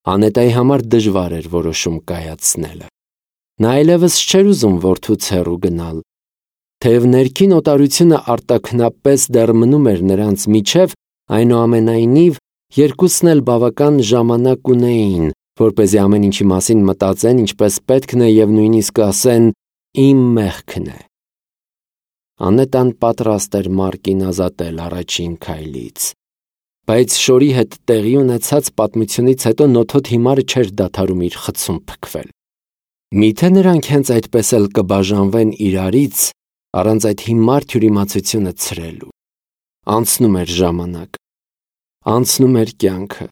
Անետայի համար դժվար էր որոշում կայացնելը։ Նա այլևս չէր ուզում որդուց հեռու գնալ։ Թեև ներքին օտարությունը արտաքնապես դեռ մնում էր նրանց միջև, այնուամենայնիվ երկուսն էլ բավական ժամանակ ունեին, որպեսզի ամեն ինչի մասին մտածեն ինչպես պետքն է և նույնիսկ ասեն «իմ մեղքն է»։ Անետան պատրաստ էր Մարկին ազատել առաջին քայլից։ Բայց շորի հետ տեղի ունեցած պատմությունից հետո նոթոտ հիմարը չէր դադարում իր խցում փքվել։ Միթե նրանք հենց այդպես էլ կբաժանվեն իրարից, առանց այդ հիմար թյուրիմացությունը ցրելու։ Անցնում էր ժամանակ, անցնում էր կյանքը,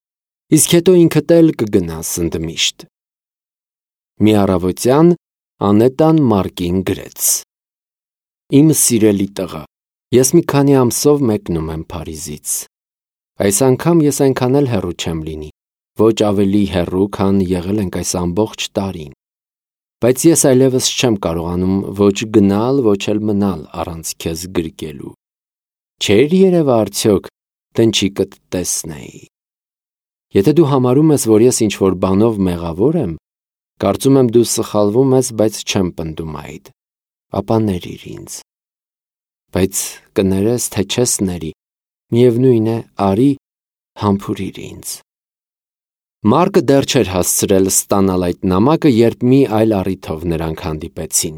իսկ հետո ինքդ էլ կգնաս ընդմիշտ։ Մի առավոտյան Անետան Մարկին գրեց. «Իմ սիրելի տղա, ես մի քանի ամսով մեկնում եմ Փարիզից։ Այս անգամ ես այնքան էլ հեռու չեմ լինի, ոչ ավելի հեռու, քան եղել ենք այս ամբողջ տարին։ Բայց ես այլևս չեմ կարողանում ոչ գնալ, ոչ էլ մնալ առանց քեզ գրկելու։ Չէր երևա արդյոք դնչիկդ տեսնեի։ Եթե դու համարում ես, որ ես ինչ-որ բանով մեղավոր եմ, կարծում եմ դու սխալվում ես, բայց չեմ պնդում այդ, ապա ներիր ինձ։ Բայց կներես, թե չես ների, միևնույն է, արի, համբուրիր ինձ»։ Մարկը դեռ չէր հասցրել ստանալ այդ նամակը, երբ մի այլ առիթով նրանք հանդիպեցին։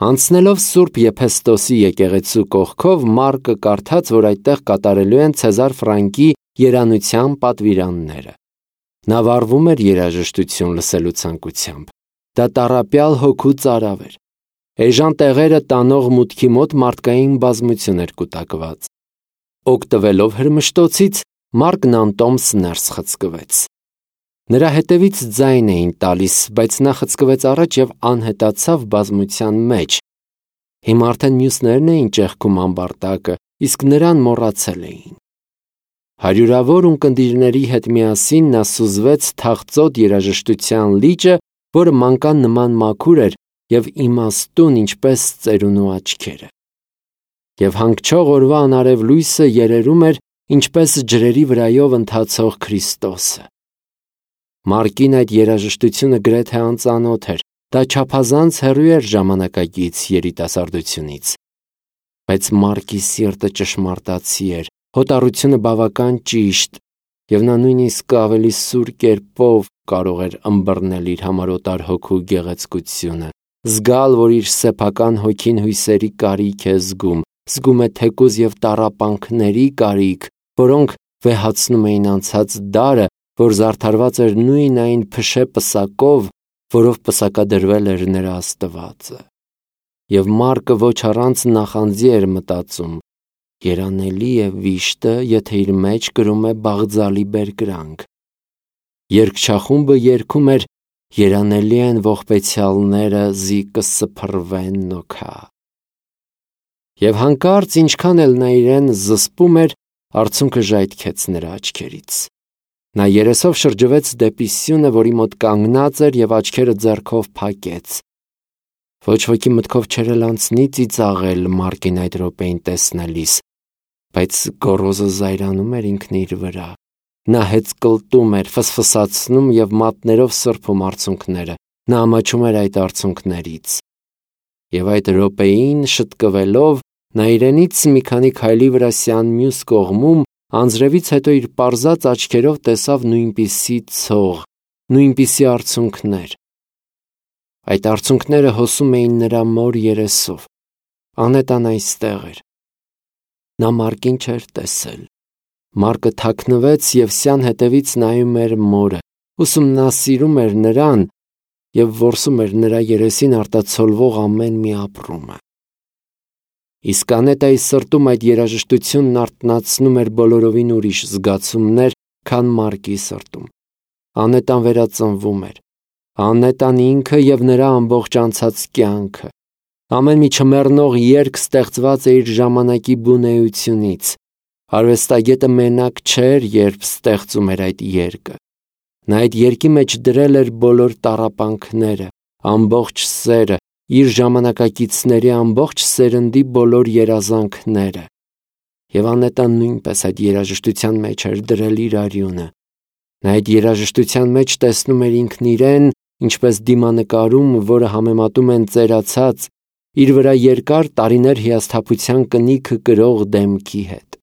Անցնելով Սուրբ Եփեսթոսի եկեղեցու կողքով, Մարկը կարդաց, որ այդտեղ կատարելու են Ցեզար Ֆրանկի երանության պատվիրանները։ Նա վառվում էր երաժշտություն լսելու ցանկությամբ։ Դա տառապյալ հոգու ծարավ էր։ Էժան տեղերը տանող մուտքի մոտ մարդկային բազմություն էր կուտակված։ Օգտվելով հրմշտոցից, Մարկն անտոմս ներս խցկվեց։ Նրա հետևից ձայն էին տալիս, բայց նա խցկվեց առաջ և անհետացավ բազմության մեջ։ Հիմա արդեն մյուսներն էին ճեղքում ամբարտակը, իսկ նրան մոռացել էին։ Հարյուրավոր ունկնդիրների հետ միասին նա սուզվեց թախծոտ երաժշտության լիճը, որը մանկան նման մաքուր էր և իմաստուն, ինչպես ծերունու աչքերը։ Եվ հանգչող օրվա անարև լույսը երերում էր, ինչպես ջրերի վրայով ընթացող Քրիստոսը։ Մարկին այդ երաժշտությունը գրեթե անծանոթ էր, դա չափազանց հեռու էր ժամանակակից երիտասարդությունից։ Բայց Մարկի սիրտը ճշմարտացի էր, հոտառությունը բավական ճիշտ, և նա նույնիսկ ավելի սուր կերպով կարող էր ըմբռնել իր համար օտար հոգու գեղեցկությունը, զգալ, որ իր սեփական հոգին հույսերի կարիք է զգում է թեկուզ և տառապանքների կարիք, որոնք վեհացնում էին անցած դարը, որ զարդարված էր նույն այն փշե պսակով, որով պսակադրվել էր նրա Աստվածը։ Եվ Մարկը ոչ առանց նախանձի էր մտածում. երանելի է վիշտը, եթե իր մեջ կրում է բաղձալի բերկրանք։ Երգչախումբը երգում էր «Երանելի են ողբեցյալները, զի կսփռվեն նոքա»։ Եվ հանկարծ, ինչքան էլ նա իրեն զսպում էր, արցունքը ժայթքեց նրա աչքերից։ Նա երեսով շրջվեց դեպի սյունը, որի մոտ կանգնած էր, և աչքերը ձեռքով փակեց։ Ոչ ոքի մտքով չէր էլ անցնի ծիծաղել Մարկին այդ րոպեին տեսնելիս, բայց գոռոզը զայրանում էր ինքն իր վրա։ Նա հեծկլտում էր, ֆսֆսացնում և մատներով սրբում արցունքները։ Նա ամաչում էր այդ արցունքներից։ Եվ այդ րոպեին շտկվելով, նա իրենից մի քանի քայլի վրա սյան մյուս կողմում, անձրևից հետո իր պարզած աչքերով տեսավ նույնպիսի ցող, նույնպիսի արցունքներ։ Այդ արցունքները հոսում էին նրա մոր երեսով։ Անետան այստեղ էր։ Նա Մարկին չէր տեսել։ Մարկը թաքնվեց և սյան հետևից նայում էր մորը, ուսումնասիրում էր նրան և որսում էր նրա երեսին արտացոլվող ամեն մի ապրումը։ Իսկ Անետայի սրտում այդ երաժշտությունն արթնացնում էր բոլորովին ուրիշ զգացումներ, քան Մարկի սրտում։ Անետան վերածնվում էր։ Անետան ինքը և նրա ամբողջ անցած կյանքը։ Ամեն մի չմեռնող երգ ստեղծված է իր ժամանակի բունեությունից։ Արվեստագետը մենակ չէր, երբ ստեղծում էր այդ երգը։ Նա այդ երգի մեջ դրել էր բոլոր տառապանքները, ամբողջ սերը, իր ժամանակակիցների ամբողջ սերնդի բոլոր երազանքները։ Եվ Անետան նույնպես այդ երաժշտության մեջ էր դրել իր արյունը։ Նա այդ երաժշտության մեջ տեսնում էր ինքն իրեն, ինչպես դիմանկարում, որը համեմատում են ծերացած, իր վրա երկար տարիներ հիասթափության կնիքը կրող դեմքի հետ։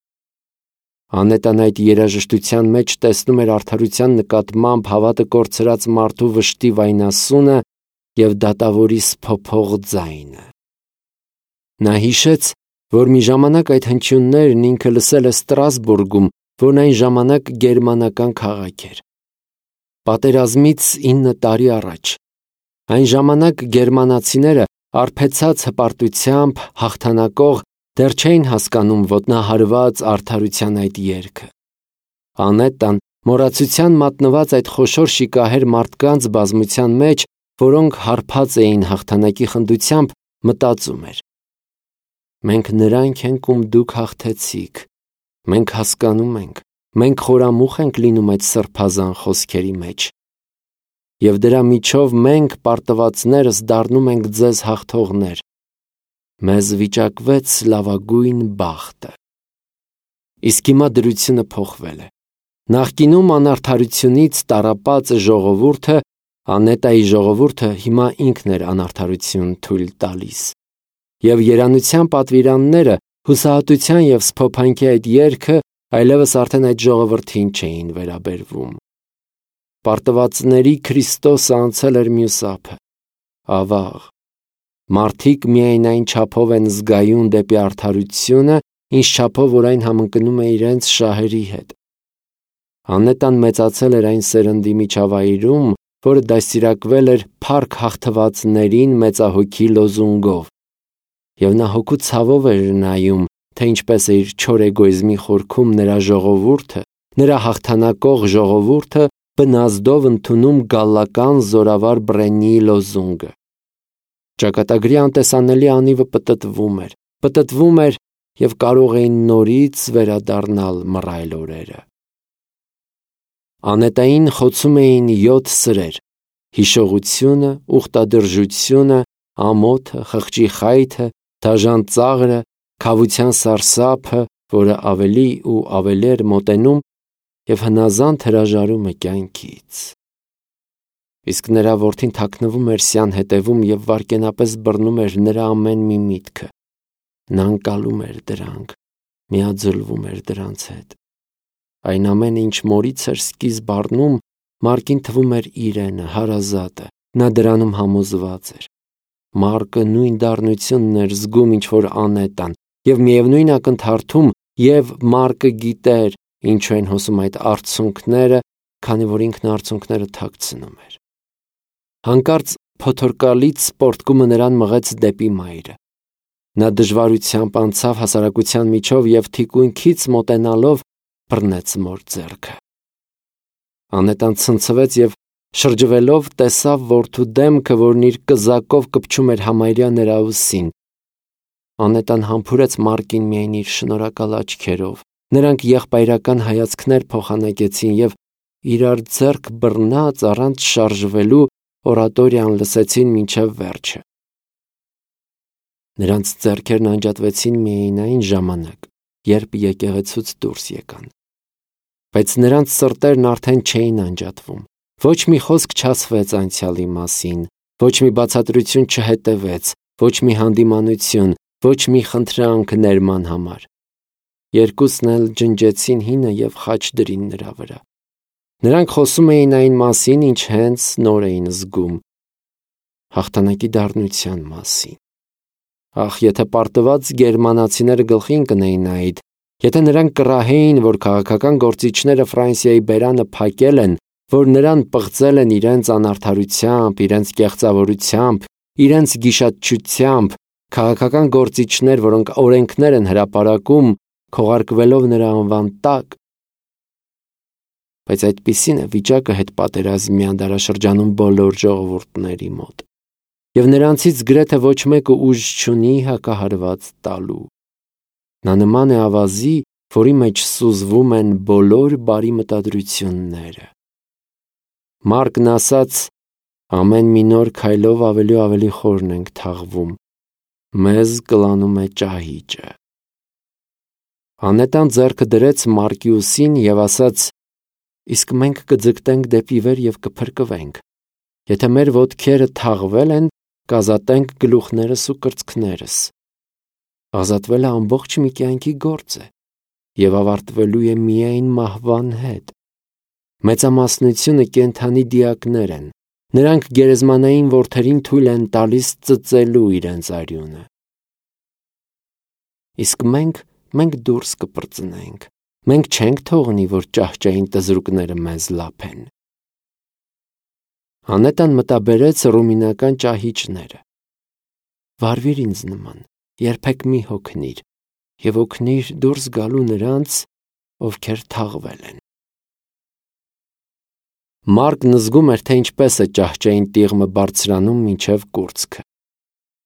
Անետան այդ երաժշտության մեջ տեսնում էր արդարության նկատմամբ հավատը կորցրած մարդու վշտի վայնասունը և դատավորի սփոփող ձայնը։ Նա հիշեց, որ մի ժամանակ այդ հնչյուններն ինքը լսել է Ստրասբուրգում, որն այն ժամանակ գերմանական քաղաք էր։ Պատերազմից 9 տարի առաջ։ Այն ժամանակ գերմանացիները արբեցած հպարտությամբ հաղթանակող դեռ չէին հասկանում ոտնահարված արդարության այդ երգը։ Անետան մոռացության մատնված այդ խոշոր շիկահեր մարդկանց բազմության մեջ, որոնք հարբած էին հաղթանակի խնդությամբ, մտածում էր. մենք նրանք ենք, ում դուք հաղթեցիք, մենք հասկանում ենք, մենք խորամուխ ենք լինում այդ սրբազան խոսքերի մեջ, և դրա միջով մենք պարտվածներս դառնում ենք ձեզ հաղթողներ, մեզ վիճակվեց լավագույն բախտը։ Իսկ հիմա դրությունը փոխվել է։ Նախկինում անարդարությունից տառապած ժողովուրդը, Անետայի ժողովուրդը հիմա ինքն էր անարդարություն թույլ տալիս։ Եվ երանության պատվիրանները, հուսահատության և սփոփանքի այդ երգը այլևս արդեն այդ ժողովրդին չէին վերաբերվում։ Պարտվածների Քրիստոսը անցել էր մյուս ափը։ Ավաղ, մարդիկ միայն այն չափով են զգայուն դեպի արդարությունը, ինչ չափով որ այն համընկնում է իրենց շահերի հետ։ Անետան մեծացել էր այն սերնդի միջավայրում, որը դաստիարակվել էր փառք հաղթվածներին մեծահոգի լոզունգով, և նա հոգու ցավով էր նայում, թե ինչպես է իր չոր էգոիզմի խորքում նրա ժողովուրդը, նրա հաղթանակող ժողովուրդը բնազդով ընդունում գալլական զորավար Բրեննիի լոզունգը։ Ճակատագրի անտեսանելի անիվը պտտվում էր և կարող էին նորից վերադառնալ մռայլ օրերը։ Անետային խոցում էին 7 սրեր՝ հիշողությունը, ուխտադրժությունը, ամոթը, խղճի խայթը, դաժան ծաղրը, քավության սարսափը, որը ավելի ու ավելի էր մոտենում, և հնազանդ հրաժարումը կյանքից։ Իսկ նրա որդին թաքնվում էր սյան հետևում և վայրկենապես բռնում էր նրա ամեն մի միտքը։ Նա ընկալում էր դրանք, միաձուլվում էր դրանց հետ։ Այն ամենը, ինչ մորից էր սկիզբ առնում, Մարկին թվում էր իրենը, հարազատը, նա դրանում համոզված էր։ Մարկը նույն դառնությունն էր զգում, ինչ որ Անետան, և միևնույն ակնթարթում, և Մարկը գիտեր, ինչու են հոսում այդ արցունքները, քանի որ ինքն արցունքները թաքցնում էր։ Հանկարծ փոթորկալից սպորտկումը նրան մղեց դեպի մայրը։ Նա դժվարությամբ անցավ հասարակության միջով և թիկունքից մոտենալով բռնեց մոր ձեռքը։ Անետան ցնցվեց և շրջվելով տեսավ որդու դեմքը, որն իր կզակով կպչում էր համարյա նրա ուսին։ Անետան համբուրեց Մարկին միայն իր շնորհակալ աչքերով։ Նրանք եղբայրական հայացքներ փոխանակեցին և իրար ձեռք բռնած առանց շարժվելու օրատորիան լսեցին մինչև վերջը։ Նրանց ձեռքերն անջատվեցին միայն այն ժամանակ, երբ եկեղեցուց դուրս եկան։ Բայց նրանց սրտերն արդեն չէին անջատվում։ Ոչ մի խոսք չասվեց անցյալի մասին, ոչ մի բացատրություն չհետևեց, ոչ մի հանդիմանություն, ոչ մի խնդրանք ներման համար։ Երկուսն էլ ջնջեցին հինը և խաչ դրին նրա վրա։ Նրանք խոսում էին այն մասին, ինչ հենց նոր էին զգում, հաղթանակի դառնության մասին։ Ախ, եթե պարտված գերմանացիները գլխին կնեին այդ, եթե նրանք կռահեին, որ քաղաքական գործիչները Ֆրանսիայի բերանը փակել են, որ նրան պղծել են իրենց անարդարությամբ, իրենց կեղծավորությամբ, իրենց գիշատչությամբ, քաղաքական գործիչներ, որոնք օրենքներ են հրապարակում, քողարկվելով նրա անվան տակ։ Բայց այդպիսին է վիճակը հետպատերազմյան դարաշրջանում բոլոր ժողովուրդների մոտ, և նրանցից գրեթե ոչ մեկը ուժ չունի հակահարված տալու։ Նա նման է ավազի, որի մեջ սուզվում են բոլոր բարի մտադրությունները։ Մարկն ասաց. ամեն մի նոր քայլով ավելի ու ավելի խորն ենք թաղվում, մեզ կլանում է ճահիճը։ Անետան ձեռքը դրեց Մարկի ուսին և ասաց. իսկ մենք կձգտենք դեպի վեր և կփրկվենք։ Եթե մեր ոտքերը թաղվել են, կազատենք գլուխներս ու կրծքներս։ Ազատվելը ամբողջ մի կյանքի գործ է և ավարտվելու է միայն մահվան հետ։ Մեծամասնությունը կենդանի դիակներ են, նրանք գերեզմանային որդերին թույլ են տալիս ծծելու իրենց արյունը։ Իսկ մենք դուրս կպրծնենք, մենք չենք թողնի, որ ճահճային տզրուկները մեզ լափեն։ Անետան մտաբերեց ռումինական ճահիճները։ Վարվիր ինձ նման, երբեք մի հոգնիր, և օգնիր դուրս գալու նրանց, ովքեր թաղվել են։ Մարկն զգում էր, թե ինչպես է ճահճային տիղմը բարձրանում մինչև կուրծքը։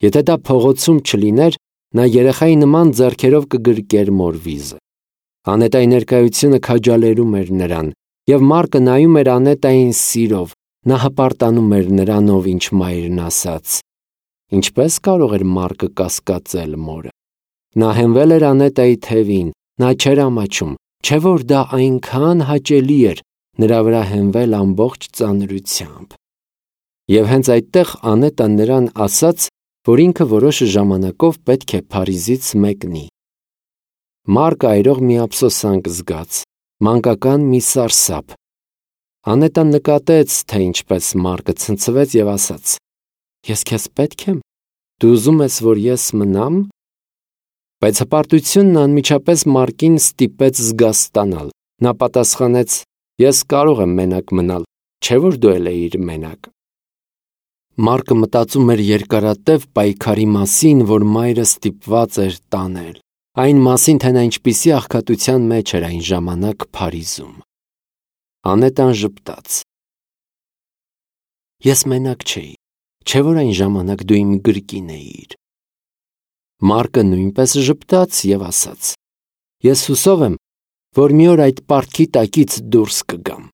Եթե դա փողոցում չլիներ, նա երեխայի նման ձեռքերով կգրկեր մոր վիզը։ Անետայի ներկայությունը քաջալերում էր նրան, և Մարկը նայում էր Անետային սիրով, նա հպարտանում էր նրանով, ինչ մայրն ասաց։ Ինչպես կարող էր Մարկը կասկածել մորը։ Նա հենվել էր Անետայի թևին, նա չէր ամաչում, չէ՞ որ դա այնքան հաճելի էր նրա վրա հենվել ամբողջ ծանրությամբ։ Եվ հենց այդտեղ Անետան նրան ասաց, որ ինքը որոշ ժամանակով պետք է Փարիզից մեկնի։ Մարկը այրող մի ափսոսանք զգաց, մանկական մի սարսափ։ Անետան նկատեց, թե ինչպես Մարկը ցնցվեց և ասաց. Ես քեզ պետք եմ, դու ուզում ես, որ ես մնամ։ Բայց հպարտությունն անմիջապես Մարկին ստիպեց զգաստանալ։ Նա պատասխանեց. Ես կարող եմ մենակ մնալ, չէ՞ որ դու էլ էիր մենակ։ Մարկը մտածում էր երկարատև պայքարի մասին, որ մայրը ստիպված էր տանել, այն մասին, թե նա ինչպիսի աղքատության մեջ էր այն ժամանակ Փարիզում։ Անետան ժպտաց. Ես մենակ չէի, չէ՞ որ այն ժամանակ դու իմ գրկին էիր։ Մարկը նույնպես ժպտաց և ասաց. Ես հուսով եմ, որ մի օր այդ պարտքի տակից դուրս կգամ։